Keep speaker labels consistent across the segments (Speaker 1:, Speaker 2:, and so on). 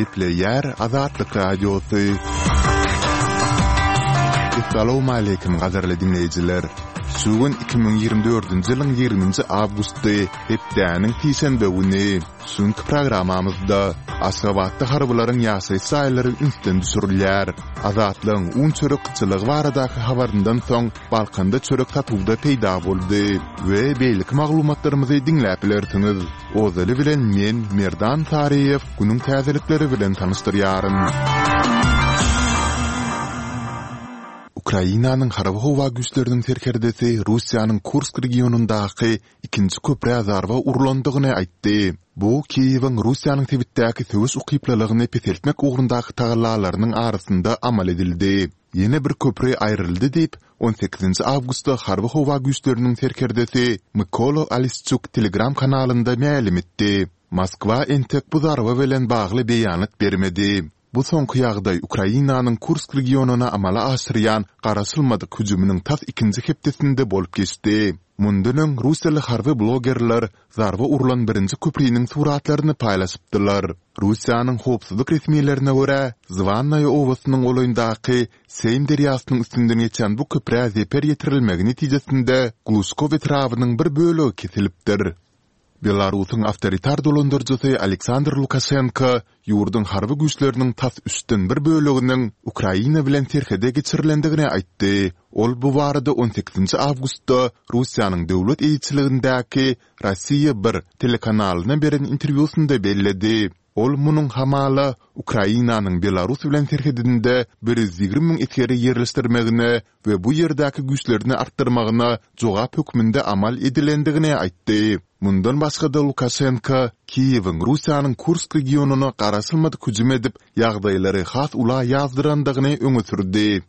Speaker 1: Gepleýär Azatlyk Radiosy. Essalawmaleýkim gadyrly diňleýjiler! Şu gün 2024-nji ýylyň 20-nji awgusty, hepdäniň sişenbe güni. Şu günki programmamyzda Aşgabatda harbylaryň ýaşaýyş jaýlary ünsden düşürilýär. Azatlygyň un-çörek gytçylygy baradaky habaryndan soň Balkanda çörek satuwda peýda boldy we beýleki maglumatlarymyzy diňläp bilersiňiz. Ozaly bilen men, Merdan Saryýew, günüň täzelikleri bilen tanyşdyrýaryn. Ukrainanyň Harby-howa güýçleriniň serkerdesi Russiýanyň Kursk regionyndaky ikinji köprä zarba urlandygyny aýtdy. Bu Kiýewiň Russiýanyň sebitdäki söweş ukyplylygyny peseltmek ugrundaky tagallalarynyň arasynda amal edildi. Ýene bir köpri aýryldy diýip, on sekizinji awgustda Harby-howa güýçleriniň serkerdesi Mykola Olesçuk Telegram kanalynda mälim etdi. Moskwa entek bu zarba bilen bagly beýanat bermedi. Bu soňky ýagdaý Ukrainanyň Kursk regionyna amala aşyrýan garaşylmadyk hüjüminiň tas ikinji hepdesinde bolup geçdi. Mundan öň russiýaly harby blogerler zarba urlan birinji köpriniň suratlaryny paýlaşypdylar. Russiýanyň howpsuzlyk resmilerine görä, Zwannaýa obasynyň golaýyndaky Seým derýasynyň üstünden geçýän bu köprä zeper ýetirilmegi netijesinde Gluşkow etrabynyň bir bölegi kesilipdir. Belarusyň awtoritar dolandyryjysy Aleksandr Lukaşenko ýurduň harby güýçleriniň tas üçden bir böleginiň Ukraina bilen serhede geçirilendigini aýtdy. Ol bu barada on sekizinji awgustda Russiýanyň döwlet eýeçiligindäki Rossiýa bir telekanalyna beren interwýusynda belledi. Ol munuň hamala Ukrainanyň Belarus bilen serhedinde 120 müň esgeri ýerleşdirmegine we bu ýerdäki güýçlerini artdyrmagyna jogap hökmünde amal edilendigini aýtdy. Mundan başga-da Lukaşenko Kiýewiň Russiýanyň Kursk regionyna garaşylmadyk hüjüm edip, ýagdaýlary has ula ýazdyrandygyny öňe sürdi.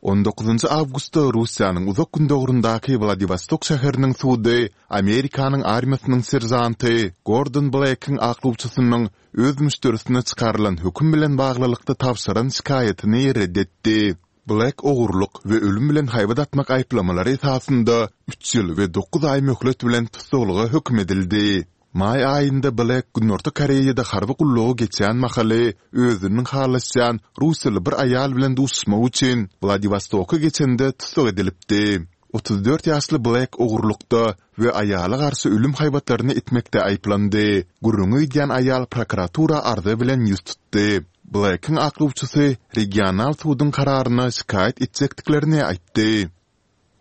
Speaker 1: On dokuzynjy awgustda Russiýanyň Uzak Gündogaryndaky Wladiwostok şäheriniň sudy Amerikanyň armiýasynyň seržanty Gordon Blekiň aklawçysynyň öz müşderisine çykarylan höküm bilen baglylykda tabşyran şikaýatyny ret etdi. Blek ogurlyk we ölüm bilen haýbat atmak aýyplamalary esasynda üç ýyl we dokuz aý möhlet bilen tussaglyga höküm edildi. Maý aýynda Blek Günorta Koreýada harby gullugy geçýän mahaly özüniň halaşýan russiýaly bir aýal bilen duşuşmak üçin Wladiwostoka geçende tussag edilipdi. 34 ýaşly Blek ogurlykda we aýala garşy ölüm haýbatlaryny etmekde aýyplandy. Gürrüňi gidýän aýal prokuratura arza bilen ýüz tutdy. Blekiň aklawçysy regional suduň kararyna şikaýat etjekdiklerini aýtdy.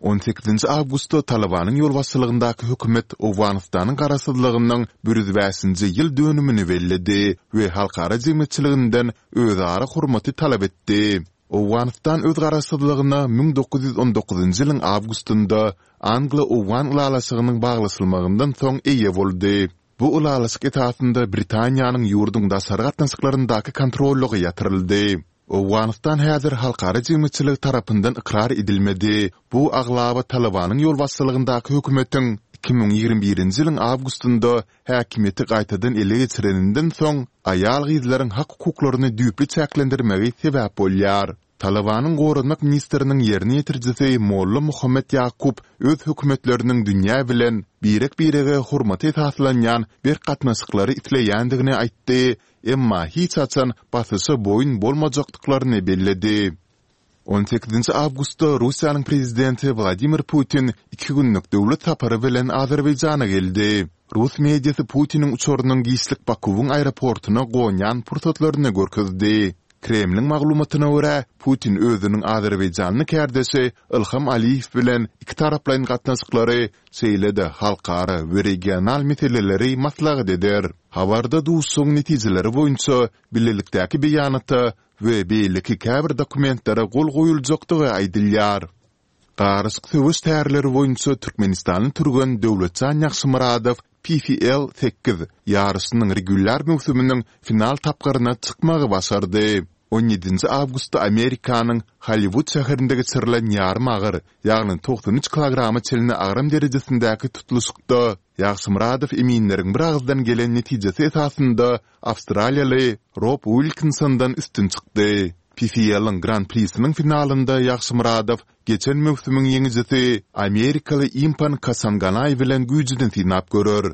Speaker 1: On sekizinji awgustda Talybanyň ýolbaşçylygyndaky hökümet Owganystanyň garaşsyzlygynyň bir ýüz bäşinji ýyl dönümini belledi we halkara jemgyýetçiliginden özara hormaty talap etdi. Owganystan öz garaşsyzlygyna 1919-njy ýylyň awgustynda Anglo-owgan ylalaşygynyň baglaşylmagyndan soň eýe boldy. Bu ylalaşyk esasynda Britaniýanyň ýurduň daşary gatnaşyklaryndaky kontrollygy ýatyryldy. Owganystan häzir halkara jemgyýetçiligi tarapyndan ykrar edilmedi. Bu aglaba Talybanyň ýolbaşçylygyndaky hökümetiň 2021-nji ýylyň awgustynda häkimiýeti gaýtadan ele geçireninden soň aýal-gyzlaryň hak-hukuklaryny düýpli çäklendirmegi sebäp bolýar. Talybanyň goranmak ministriniň ýerine ýetirijisi Molla Muhammet Ýakup öz hökümetleriniň dünýä bilen birek-birege hormata esaslanýan berk gatnaşyklary isleýändigini aýtdy, emma hiç haçan basyşa boýun bolmajakdyklaryny belledi. On sekizinji awgustda Russiýanyň prezidenti Wladimir Putin iki günlük döwlet sapary bilen Azerbaýjana geldi. Rus mediasy Putiniň uçarynyň giçlik Bakuwyň aeroportuna gonýan pursatlaryny görkezdi. Kremliň maglumatyna görä, Putin özüniň azerbaýjanly kärdeşi Ilham Aliýew bilen ikitaraplaýyn gatnaşyklary, şeýle-de halkara we regional meseleleri maslahat eder. Habarda duşuşygyň netijeleri boýunça bilelikdäki beýanata we beýleki käbir dokumentlere gol goýuljakdygy aýdylýar. Garyşyk söweş tärleri boýunça türkmenistanly türgen Döwletjan Ýagşymyradow PFL sekiz ýaryşynyň regulýar möwsüminiň final tapgyryna çykmagy başardy. On ýedinji awgustda Amerikanyň Holliwud şäherinde geçirilen ýarym agyr, ýagny 93 kilograma çenli agram derejesindäki tutluşykda Ýagşymyradow eminleriň biragyzdan gelen netijesi esasynda awstraliýaly Rob Uilkinsondan üstün çykdy. PFL-iň Gran-prisiniň finalynda Ýagşymyradow geçen möwsümiň ýeňijisi amerikaly Impan Kasanganaý bilen güýjüni synap görer.